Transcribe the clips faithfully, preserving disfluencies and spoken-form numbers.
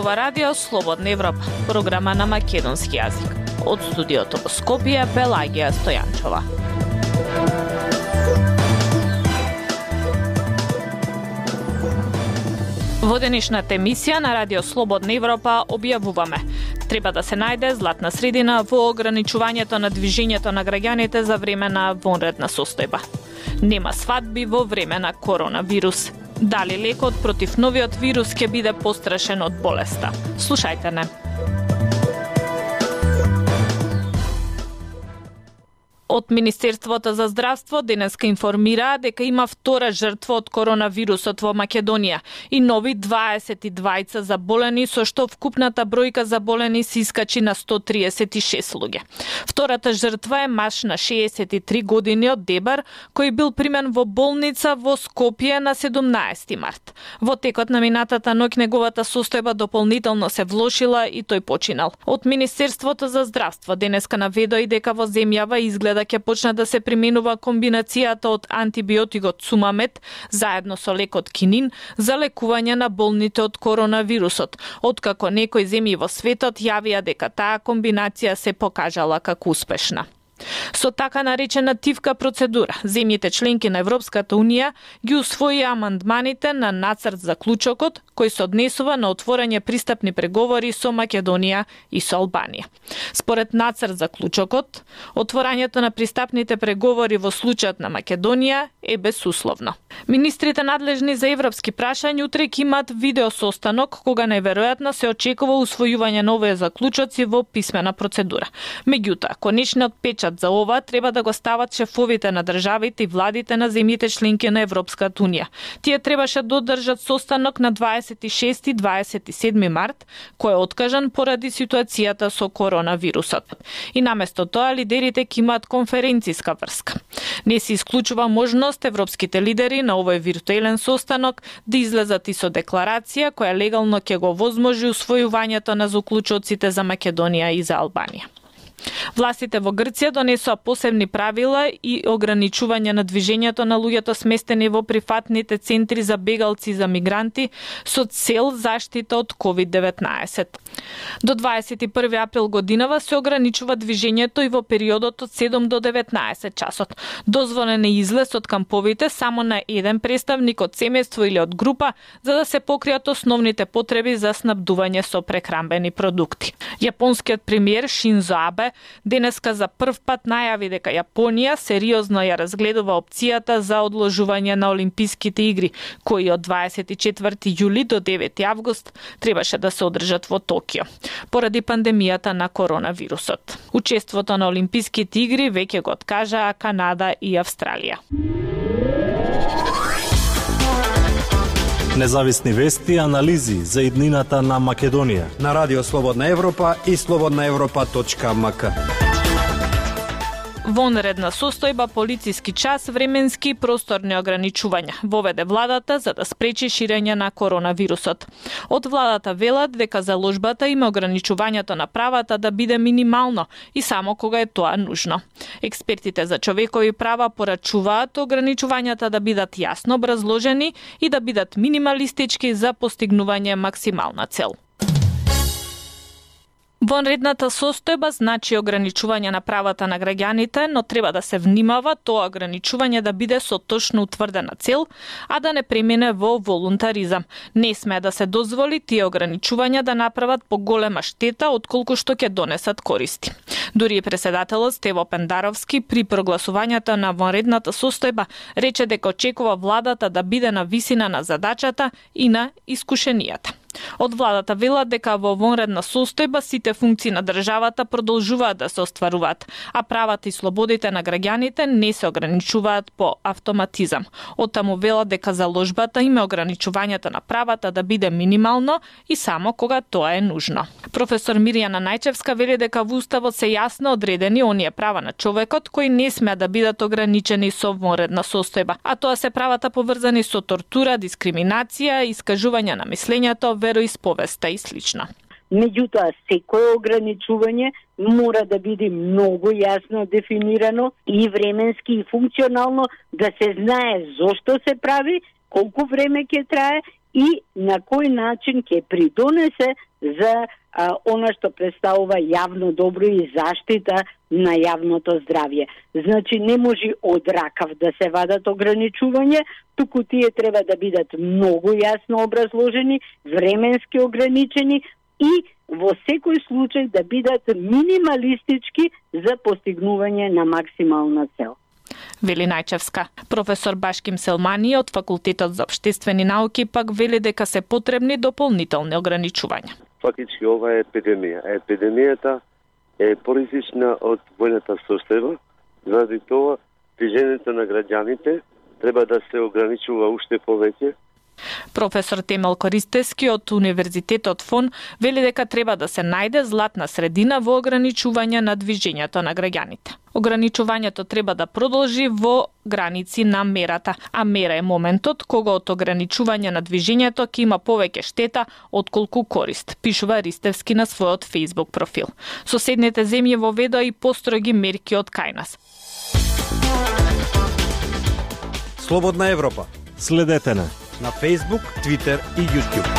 ова радио Слободна Европа, програма на македонски јазик. Од студиото во Скопје, Пелагија Стојанчова. Во денешната емисија на радио Слободна Европа објавуваме: треба да се најде златна средина во ограничувањето на движењето на граѓаните за време на вонредна состојба. Нема свадби во време на коронавирус. Дали лекот против новиот вирус ќе биде пострашен од болеста? Слушајте не. Од Министерството за здравство денеска информираа дека има втора жртва од коронавирусот во Македонија и нови дваесет и двајца заболени, со што вкупната бројка заболени се искачи на сто триесет и шест луѓе. Втората жртва е маж на шеесет и три години од Дебар, кој бил примен во болница во Скопје на седумнаесети март. Во текот на минатата ноќ неговата состојба дополнително се влошила и тој починал. Од Министерството за здравство денеска наведоа и дека во земјава изгледа да ќе почне да се применува комбинацијата од антибиотикот Сумамет заедно со лекот Кинин за лекување на болните од коронавирусот, откако некои земји во светот јавија дека таа комбинација се покажала како успешна. Со така наречена тивка процедура, земјите членки на Европската Унија ги усвоија амандманите на нацрт заклучокот кој се однесува на отворање пристапни преговори со Македонија и со Албанија. Според нацрт заклучокот, отворањето на пристапните преговори во случајот на Македонија е безусловно. Министрите надлежни за европски прашања утре ќе имаат видео состанок кога најверојатно се очекува усвојување на овие заклучоци во писмена процедура. Меѓутоа, конечниот печат за ова треба да го стават шефовите на државите и владите на земјите членки на Европската Унија. Тие требаше да одржат состанок на дваесет и шести и дваесет и седми март, кој е откажан поради ситуацијата со коронавирусот. И наместо тоа лидерите ќе имаат конференциска врска. Не се исклучува можност европските лидери на овој виртуелен состанок да излезат и со декларација која легално ќе го возможи усвојувањето на заклучоците за Македонија и за Албанија. Властите во Грција донесоа посебни правила и ограничување на движењето на луѓето сместени во прифатните центри за бегалци и за мигранти со цел заштита од ковид деветнаесет. До дваесет и први април годинава се ограничува движењето и во периодот од седум до деветнаесет часот. Дозволен е излез од камповите само на еден представник од семејство или од група, за да се покријат основните потреби за снабдување со прехранбени продукти. Јапонскиот премиер Шинзо Абе денеска за прв пат најави дека Јапонија сериозно ја разгледува опцијата за одложување на Олимписките игри, кои од дваесет и четврти јули до девети август требаше да се одржат во Токио, поради пандемијата на коронавирусот. Учеството на Олимписките игри веќе го откажаа Канада и Австралија. Независни вести и анализи за иднината на Македонија на Радио Слободна Европа и слободна европа точка ем ка. Вонредна состојба, полициски час, временски и просторни ограничувања воведе владата за да спречи ширење на коронавирусот. Од владата велат дека заложбата има ограничувањето на правата да биде минимално и само кога е тоа нужно. Експертите за човекови права порачуваат ограничувањата да бидат јасно образложени и да бидат минималистички за постигнување максимална цел. Вонредната состојба значи ограничување на правата на граѓаните, но треба да се внимава тоа ограничување да биде со точно утврдена цел, а да не премине во волунтаризам. Не смее да се дозволи тие ограничувања да направат поголема штета отколку што ќе донесат користи. Дури и преседателот Стево Пендаровски при прогласувањето на вонредната состојба рече дека очекува владата да биде на висина на задачата и на искушенијата. Од владата велат дека во вонредна состојба сите функции на државата продолжуваат да се остваруваат, а правата и слободите на граѓаните не се ограничуваат по автоматизам. Оттаму велат дека заложбата има ограничувањето на правата да биде минимално и само кога тоа е нужно. Професор Мирјана Најчевска вели дека во уставот се јасно одредени оние права на човекот кои не смеа да бидат ограничени со вонредна состојба, а тоа се правата поврзани со тортура, дискриминација, искажување на мислењето, вероисповеста и слично. Меѓутоа, секое ограничување мора да биде многу јасно дефинирано и временски и функционално, да се знае зошто се прави, колку време ќе трае и на кој начин ќе придонесе за а, она што представува јавно добро и заштита на јавното здравје. Значи не може од ракав да се вадат ограничувања, туку тие треба да бидат многу јасно образложени, временски ограничени и во секој случај да бидат минималистички за постигнување на максимална цел. Вели Најчевска. Професор Башким Селмани од Факултетот за општествени науки пак вели дека се потребни дополнителни ограничувања. Фактички ова е епидемија. Епидемијата е поризична од војната состојба, заради тоа движењето на граѓаните треба да се ограничува уште повеќе. Професор Темел Користески од Универзитетот ФОН вели дека треба да се најде златна средина во ограничување на движењето на граѓаните. Ограничувањето треба да продолжи во граници на мерата, а мера е моментот кога од ограничување на движењето ќе има повеќе штета отколку корист, пишува Ристевски на својот Facebook профил. Соседните земји воведоа и построги мерки од кај нас. Слободна Европа. Следете на на Facebook, Twitter и YouTube.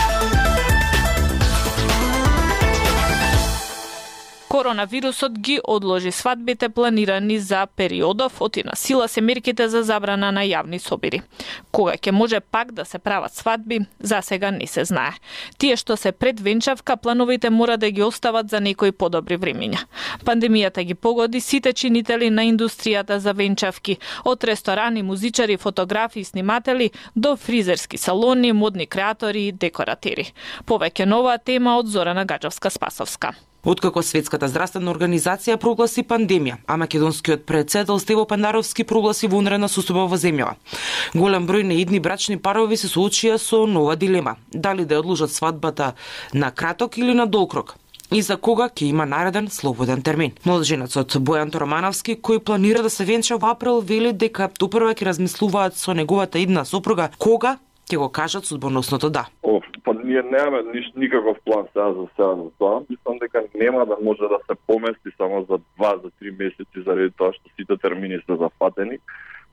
Коронавирусот ги одложи свадбите планирани за периодов, оти на сила се мерките за забрана на јавни собири. Кога ќе може пак да се прават свадби, за сега не се знае. Тие што се пред венчавка, плановите мора да ги остават за некои подобри времиња. Пандемијата ги погоди сите чинители на индустријата за венчавки, од ресторани, музичари, фотографи и сниматели до фризерски салони, модни креатори и декоратери. Повеќе нова тема од Зорана Гаджовска-Спасовска. Откако Светската здравствена организација прогласи пандемија, а македонскиот председател Стево Пандаровски прогласи вонредна состојба во земјава. Голем број неидни брачни парови се соочија со нова дилема: дали да ја одложат свадбата на краток или на долг рок, и за кога ќе има нареден слободен термин. Младоженецот Бојан Торомановски, кој планира да се венча во април, вели дека топрва ќе размислуваат со неговата идна сопруга кога ќе го кажат судбоносното да. О, па ние немаме ниш, никаков план сега за сега за тоа. Мислам дека нема да може да се помести само за два за три месеци заради тоа што сите термини се зафатени.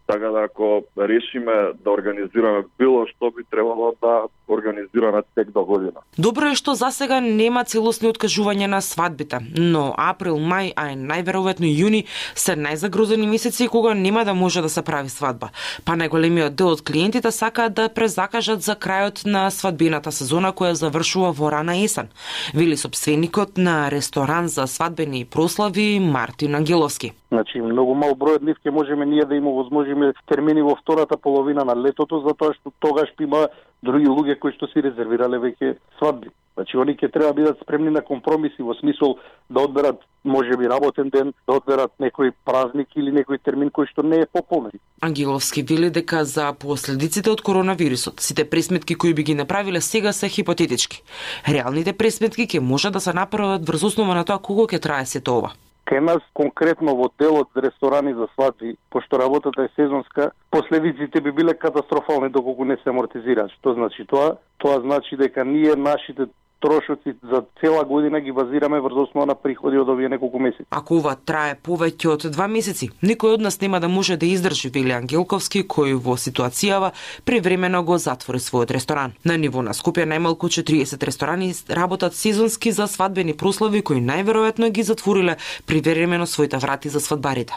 Така да ако решиме да организираме било што, би требало да организираме тек до година. Добро е што засега нема целосни откажувања на свадбите, но април, мај, а најверојатно јуни се најзагрозени месеци кога нема да може да се прави свадба. Па најголемиот дел од клиентите сакаат да презакажат за крајот на свадбената сезона која завршува во рана есен, вели сопственикот на ресторан за свадбени прослави Мартин Ангеловски. Значи, многу мал број од нив ќе можеме ние да им овозможиме термини во втората половина на летото, затоа што тогаш има други луѓе кои што си резервирале веќе свадби. Значи, они ќе треба да бидат спремни на компромиси во смисол да одберат можеби работен ден, да одберат некој празник или некој термин кој што не е пополнен. Ангеловски вели дека за последиците од коронавирусот сите пресметки кои би ги направиле сега се хипотетички. Реалните пресметки ќе може да се направат врз основа на тоа колку ќе трае сето ова. Кај нас конкретно во делот за ресторани за свадби, пошто работата е сезонска, последиците би биле катастрофални доколку не се амортизираат. Што значи тоа? Тоа значи дека ние нашите трошоци за цела година ги базираме врз основа на приходи од овие неколку месеци. Ако ова трае повеќе од два месеци, никој од нас нема да може да издржи, вели Ангелковски, кој во ситуацијава привремено го затвори својот ресторан. На ниво на Скопје најмалку четириесет ресторани работат сезонски за свадбени прослави кои најверојатно ги затвориле привремено своите врати за свадбарите.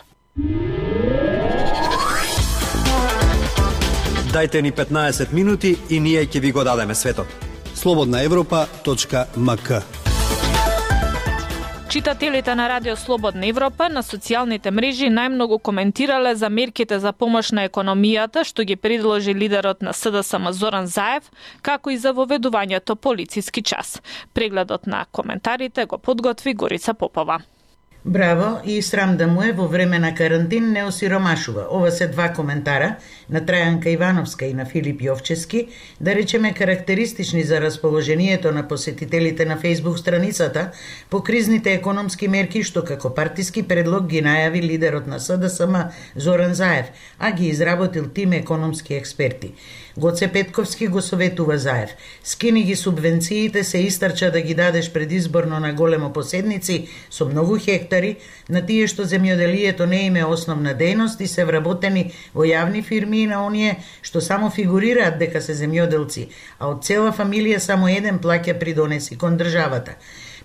Дајте ни петнаесет минути и ние ќе ви го дадеме светот. слободна европа точка ем ка. Читателите на Радио Слободна Европа на социјалните мрежи најмногу коментирале за мерките за помош на економијата што ги предложи лидерот на С Д С М Зоран Заев, како и за воведувањето полициски час. Прегледот на коментарите го подготви Горица Попова. Браво и срам да му е во време на карантин не осиромашува. Ова се два коментара на Трајанка Ивановска и на Филип Јовчески, да речеме карактеристични за расположението на посетителите на Facebook страницата по кризните економски мерки што како партиски предлог ги најави лидерот на С Д С М Зоран Заев, а ги изработил тим економски експерти. Гоце Петковски го советува Заев: скини ги субвенциите, се истрча да ги дадеш предизборно на големо поседници со многу хектари хектари на тие што земјоделието не им е основна дејност и се вработени во јавни фирми и на оние што само фигурираат дека се земјоделци, а од цела фамилија само еден плаќа придонеси кон државата.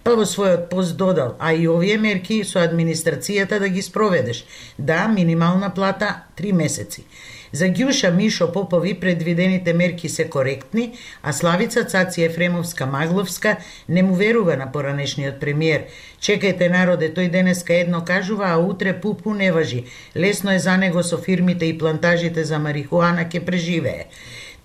Па во својот пост додал, а и овие мерки со администрацијата да ги спроведеш. Да, минимална плата три месеци. За Ѓуша Мишо Попови предвидените мерки се коректни, а Славица Цаци Ефремовска-Магловска не му верува на поранешниот премиер. Чекајте народе, тој денеска едно кажува, а утре пупу не важи. Лесно е за него со фирмите и плантажите за марихуана ке преживее.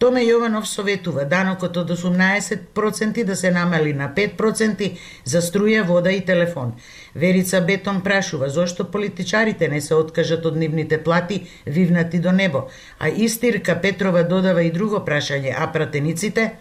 Томе Јованов советува данокот од осумнаесет проценти да се намали на пет проценти за струја, вода и телефон. Верица Бетон прашува зошто политичарите не се откажат од нивните плати вивнати до небо, а Истирка Петрова додава и друго прашање, а пратениците?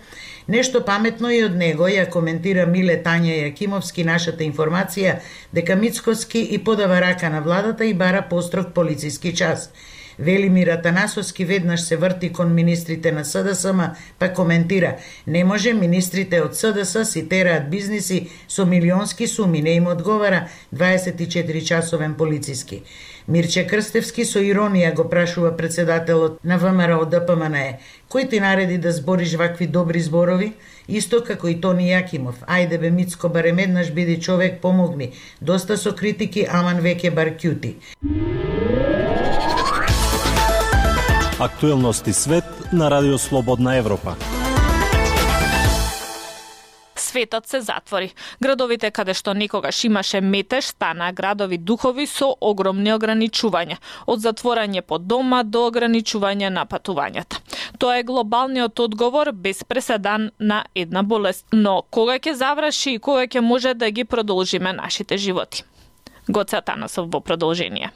Нешто паметно и од него ја коментира Миле Тања Јакимовски нашата информација дека Мицкоски и подава рака на владата и бара построг полициски час. Велимир Атанасовски веднаш се врти кон министрите на СДСМ, па коментира: не може министрите од СДС си тераат бизниси со милионски суми, не им одговара дваесет и четири часовен полициски. Мирче Крстевски со иронија го прашува председателот на ВМРО ДПМНЕ: кој ти нареди да збориш вакви добри зборови? Исто како и Тони Јакимов: ајде бе Мицко, барем еднаш биди човек, помогни. Доста со критики, аман веќе бар кјути. Актуелности свет на Радио Слободна Европа. Светот се затвори. Градовите каде што некогаш имаше метеж стана градови духови со огромни ограничувања, од затворање по дома до ограничување на патувањата. Тоа е глобалниот одговор без преседан на една болест. Но кога ќе заврши и кога ќе може да ги продолжиме нашите животи? Гоце Атанасов во продолжение.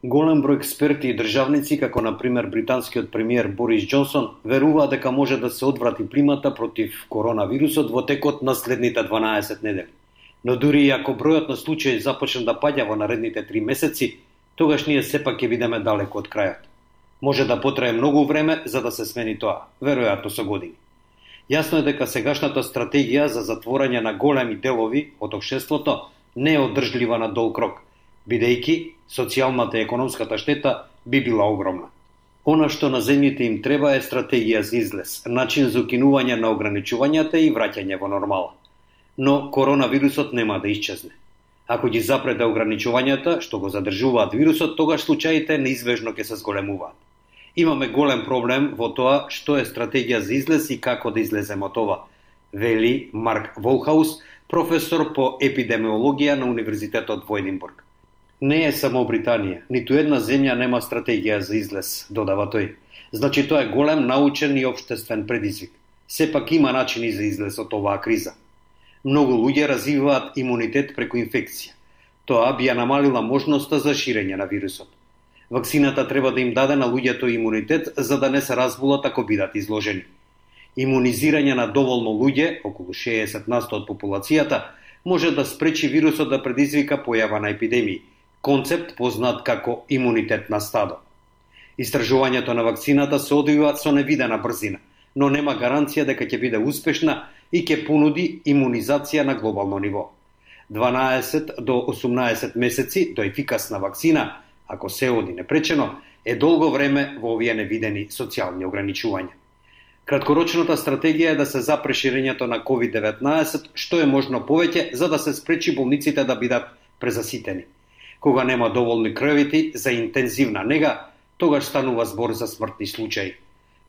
Голем број експерти и државници, како на пример британскиот премиер Борис Џонсон, веруваат дека може да се одврати плимата против коронавирусот во текот на следните дванаесет недели. Но дури и ако бројот на случаи започне да паѓа во наредните три месеци, тогаш ние сепак ќе бидеме далеко од крајот. Може да потрае многу време за да се смени тоа, веројатно со години. Јасно е дека сегашната стратегија за затворање на големи делови од општеството не е одржлива на долг рок, бидејќи социјалната и економската штета би била огромна. Она што на земјите им треба е стратегија за излез, начин за укинување на ограничувањата и враќање во нормала. Но коронавирусот нема да исчезне. Ако ги запреде ограничувањата што го задржуваат вирусот, тогаш случаите неизбежно ќе се зголемуваат. Имаме голем проблем во тоа што е стратегија за излез и како да излеземе од ова, вели Марк Волхаус, професор по епидемиологија на Универзитетот во Единбург. Не е само Британија, ниту една земја нема стратегија за излез, додава тој. Значи тоа е голем научен и општествен предизвик. Сепак има начини за излез од оваа криза. Многу луѓе развиваат имунитет преку инфекција. Тоа би ја намалила можноста за ширење на вирусот. Вакцината треба да им даде на луѓето имунитет за да не се разболат ако бидат изложени. Имунизирање на доволно луѓе, околу шеесет на сто од популацијата, може да спречи вирусот да предизвика појава на епидемии, концепт познат како имунитет на стадо. Истражувањето на вакцината се одвива со невидена брзина, но нема гаранција дека ќе биде успешна и ќе понуди имунизација на глобално ниво. дванаесет до осумнаесет месеци до ефикасна вакцина, ако се оди непречено, е долго време во овие невидени социјални ограничувања. Краткорочната стратегија е да се запре ширењето на ковид деветнаесет што е можно повеќе за да се спречи болниците да бидат презаситени. Кога нема доволни кревети за интензивна нега, тогаш станува збор за смртни случаи.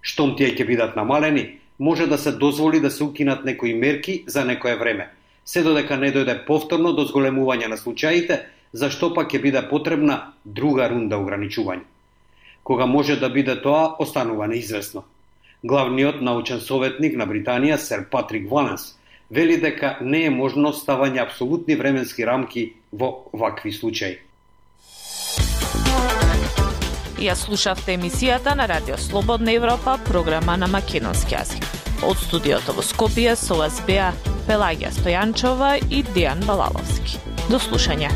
Штом тие ќе бидат намалени, може да се дозволи да се укинат некои мерки за некое време, се додека не дојде повторно до зголемување на случаите, зашто пак ќе биде потребна друга рунда ограничување. Кога може да биде тоа, останува неизвестно. Главниот научен советник на Британија, сер Патрик Валенс, вели дека не е можно ставање апсолутни временски рамки во вакви случаи. Ја слушавте емисијата на Радио Слободна Европа, програма на македонски јазик. Од студиото во Скопје со вас беа Пелагија Стојанчова и Дејан Балаловски. До слушање.